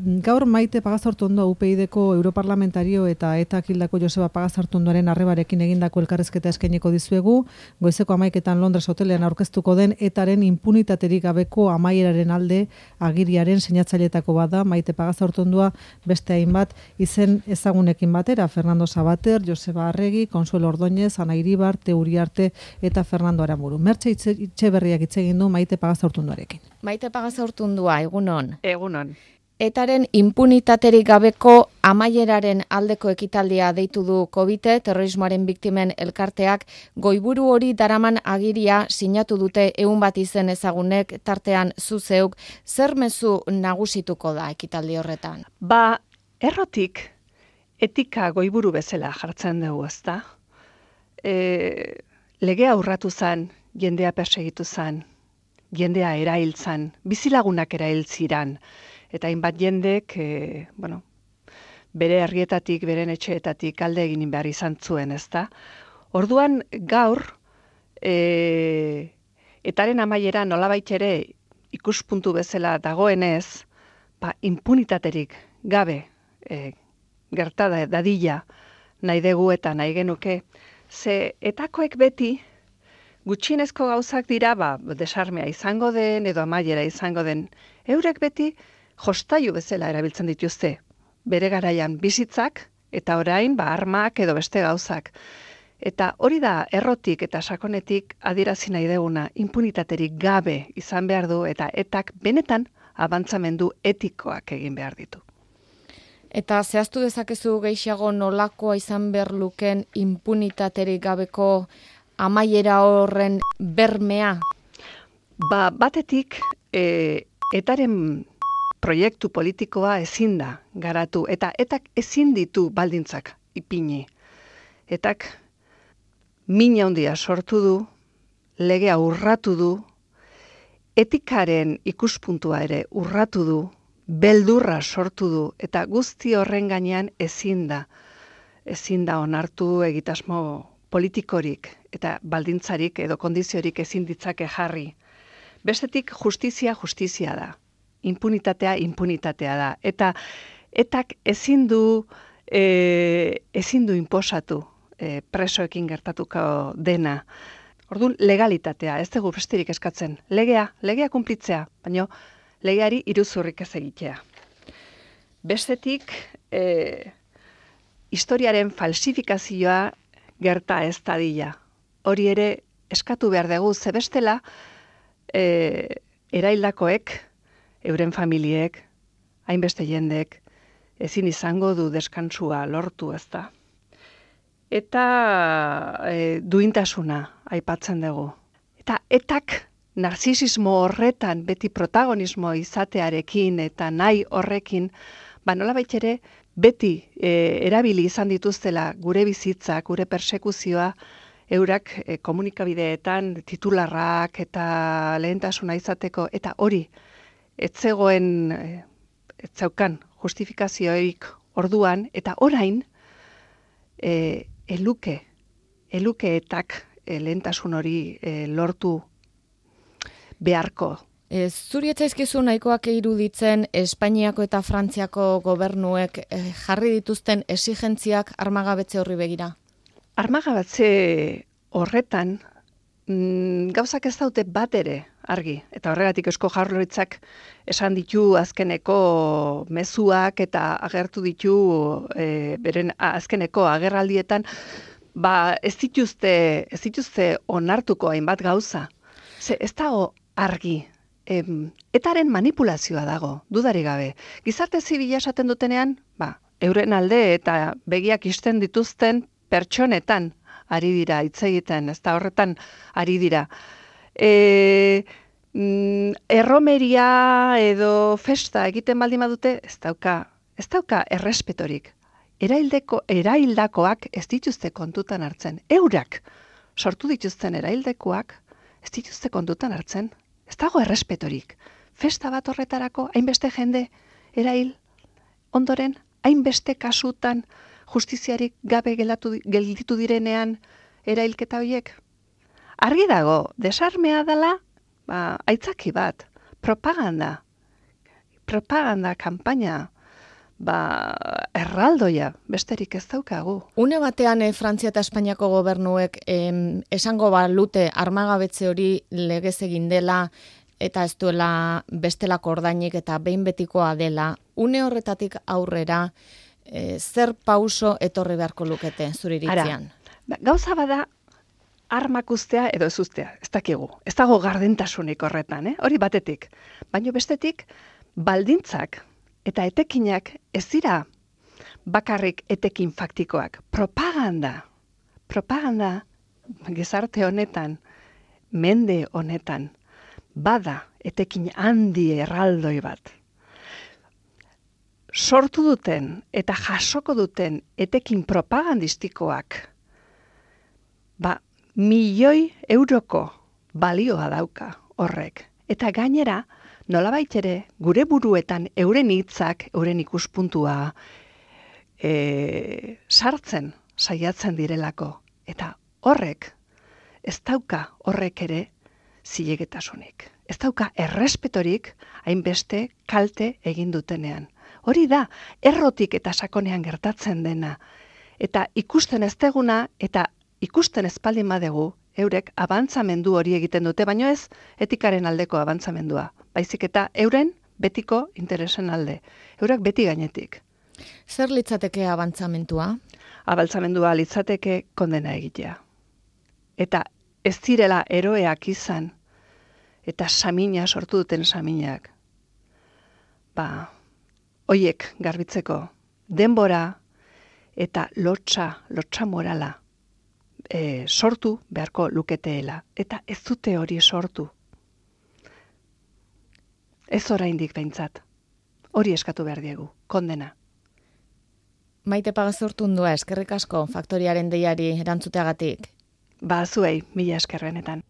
Gaur Maite Pagazartundoa UPyDko europarlamentario eta ETAk hildako Joseba Pagazartundoaren arrebarekin egindako elkarrizketa eskainiko dizuegu, goizeko 11etan Londres hotelean aurkeztuko den ETAren inpunitaterik gabeko amaieraren alde agiriaren sinatzaileetako bada Maite Pagazartundoa beste hainbat izen ezagunekin batera, Fernando Sabater, Joseba Arregi, Consuelo Ordóñez, Ana Iribar, Uriarte eta Fernando Aramburu. Mertxe Etxeberriak hitz egin du Maite Pagazartundoarekin. Maite Pagazartundoa, egunon. Egunon. ETAren inpunitaterik gabeko amaieraren aldeko ekitaldia deitu du Covite, terrorismoaren biktimen elkarteak, goiburu hori daraman agiria sinatu dute 100 bat izen ezagunek, tartean zuzeuk, zer mezu nagusituko da ekitaldi horretan? Errotik etika goiburu bezala jartzen dugu, ezta? Legea urratu zen, jendea persegitu zen, jendea erailtzan, bizilagunak erailtziran, eta hainbat jendek, bere herrietatik, beren etxeetatik alde egin behar izan zuen, ezta? Orduan gaur, etaren amaiera nolabait ere ikuspuntu bezala dagoenez, inpunitaterik gabe gertada dadila nahi dugu eta nahi genuke, ze etakoek beti gutxienezko gauzak dira, desarmea izango den edo amaiera izango den, eurek beti jostailu bezala erabiltzen dituzte, bere garaian bizitzak eta orain armak edo beste gauzak. Eta hori da errotik eta sakonetik adierazi nahi deguna, inpunitaterik gabe izan behar du eta etak benetan abantzamendu etikoak egin behar ditu. Eta zehaztu dezakezu gehiago nolakoa izan behar luken inpunitaterik gabeko amaiera horren bermea? Batetik, etaren proiektu politikoa ezin da garatu, eta etak ezin ditu baldintzak ipini. Etak mina handia sortu du, legea urratu du, etikaren ikuspuntua ere urratu du, beldurra sortu du, eta guzti horren gainean ezin da onartu egitasmo politikorik, eta baldintzarik edo kondiziorik ezin ditzake jarri. Bestetik justizia da. Impunitatea da. Eta etak ezin du inposatu presoekin gertatuko dena. Orduan legalitatea, ez dugu besterik eskatzen. Legea kunplitzea, baina legeari iruzurrik ez egitea. Bestetik, historiaren falsifikazioa gerta ez dadila. Hori ere eskatu behar dugu, ze bestela eraildakoek, euren familiek, hainbeste jendek, ezin izango du deskantsua lortu, ezta. Eta duintasuna aipatzen dugu. Eta etak narzisismo horretan beti protagonismo izatearekin eta nahi horrekin, nolabait ere beti erabili izan dituztela gure bizitzak, gure persekuzioa, eurak komunikabideetan titularrak eta lehentasuna izateko, eta hori, ez zeukan justifikazioik orduan, eta orain eluke etak lehentasun hori lortu beharko. Zuri etzaizkizu nahikoak iruditzen Espainiako eta Frantziako gobernuek jarri dituzten exigentziak armagabetze horri begira? Armagabetze horretan gauzak ez daute bat ere argi, eta horregatik Eusko Jaurlaritzak esan ditu azkeneko mezuak eta agertu ditu beren azkeneko agerraldietan, ez dituzte onartuko hainbat gauza. Ez dago argi, etaren manipulazioa dago, dudari gabe. Gizarte zibila esaten dutenean, euren alde eta begiak isten dituzten pertsonetan ari dira, hitz egiten, ez da horretan ari dira. Erromeria edo festa egiten baldin badute, ez dauka errespetorik. Eraildakoak ez dituzte kontutan hartzen. Eurak sortu dituzten eraildakoak ez dituzte kontutan hartzen. Ez dago errespetorik. Festa bat horretarako hainbeste jende erail ondoren, hainbeste kasutan justiziarik gabe gelditu direnean erailketa horiek. Argi dago, desarmea dela, aitzaki bat, propaganda. propaganda kanpaina, erraldoia, besterik ez daukagu. Une batean Frantzia eta Espainiako gobernuek esango balute armagabetze hori legez egin dela eta ez duela bestelako ordainik eta behin betikoa dela. Une horretatik aurrera zer pauso etorri beharko lukete zure iritzian? Gauza bada armak ustea edo ez ustea, ez dakigu. Ez dago gardentasunik horretan, Hori batetik. Baina bestetik baldintzak eta etekinak ez dira bakarrik etekin faktikoak. Propaganda gizarte honetan, mende honetan, bada etekin handi erraldoi bat. Sortu duten eta jasoko duten etekin propagandistikoak, milioi euroko balioa dauka horrek. Eta gainera, nolabait ere, gure buruetan euren hitzak, euren ikuspuntua sartzen saiatzen direlako. Eta horrek, ez dauka horrek ere zilegetasunik. Ez dauka errespetorik hainbeste kalte egin dutenean. Hori da, errotik eta sakonean gertatzen dena. Eta ikusten ez deguna eta ikusten espaldin badegu, eurek abantzamendu hori egiten dute, baino ez etikaren aldeko abantzamendua. Baizik eta euren betiko interesen alde. Eurak beti gainetik. Zer litzateke abantzamendua? Abantzamendua litzateke kondena egitea. Eta ez direla eroeak izan, eta samina sortu duten saminak. Hoiek garbitzeko denbora eta lotsa morala sortu beharko luketeela. Eta ez dute hori sortu. Ez oraindik behintzat. Hori eskatu behar diegu, kondena. Maite Pagazurtundua, eskerrik asko faktoriaren deiari erantzuteagatik. Zuei, mila esker benetan.